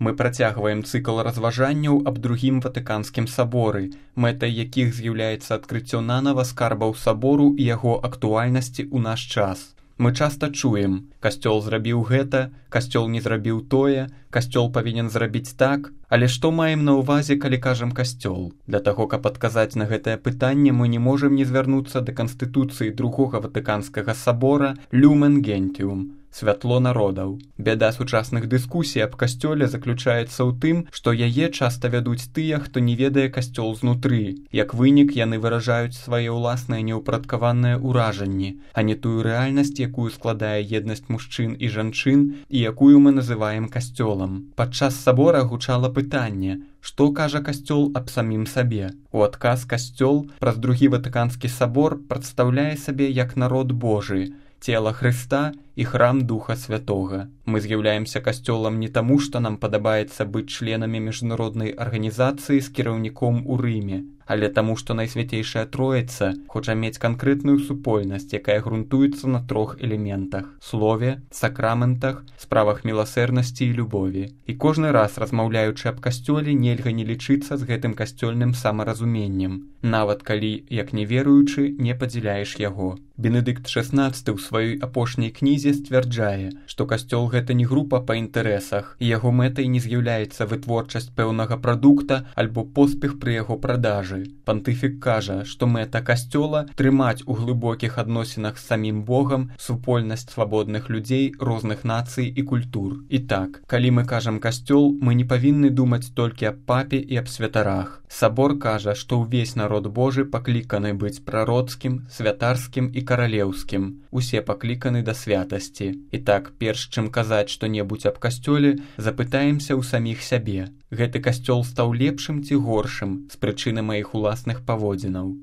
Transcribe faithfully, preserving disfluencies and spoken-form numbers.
Мы працягваем цыкл разважанняў аб другім Ватыканскім саборы, мэтай якіх з'яўляецца адкрыццё нанава скарбаў сабору і яго актуальнасці ў наш час. Мы часта чуем: касцёл зрабіў гэта, касцёл не зрабіў тое, касцёл павінен зрабіць так. Але што маем на ўвазе, калі кажам касцёл? Для таго, каб адказаць на гэтае пытанне, мы не можам не звярнуцца да канстытуцыі другога Ватыканскага сабора «Люмен Гентиум» – святло народаў. Бяда сучасных дыскусій аб касцёле заключаецца ў тым, што яе часта вядуць тыя, хто не ведае касцёл знутры. Як вынік, яны выражаюць свае ўласныя неўпарадкаваныя ўражанні, а не тую рэальнасць, якую складае еднасць мужчын і жанчын і якую мы называем касцёлам. Падчас сабора гучала пытанне: што кажа касцёл аб самім сабе? У адказ касцёл праз другі Ватыканскі сабор прадстаўляе сабе як народ Божы, цела Хрыста і храм Духа Святога. Мы з'яўляемся касцёлам не таму, што нам падабаецца быць членамі міжнароднай арганізацыі з кіраўніком у Рыме, але таму, што Найсвяцейшая Троіца хоча мець канкрэтную супольнасць, якая грунтуецца на трох элементах – слове, сакраментах, справах міласэрнасці і любові. І кожны раз, размаўляючы аб касцёле, нельга не лічыцца з гэтым касцёльным самаразуменнем, нават калі, як неверуючы, не падзяляеш яго. Бенедыкт шаснаццаты ў сваёй апошняй кнізе сцвярджае, што касцёл гэта не група па інтарэсах, і яго мэтай не з'яўляецца вытворчасць пэўнага прадукта альбо поспех пры яго продажы. Пантыфік кажа, што мэта касцёла – трымаць у глыбокіх адносінах з самім Богам супольнасць свабодных людзей розных нацый і культур. І так, калі мы кажам касцёл, мы не павінны думаць толькі аб папе і аб святарах. Сабор кажа, што ўвесь народ Божы пакліканы быць прароцкім, святарскім і каралеўскім. Усе пакліканы да святасці. І так, перш чым казаць што-небудзь аб касцёле, запытаемся ў саміх сябе. Гэты касцёл стаў лепшым ці горшым з прычыны маіх уласных паводзінаў?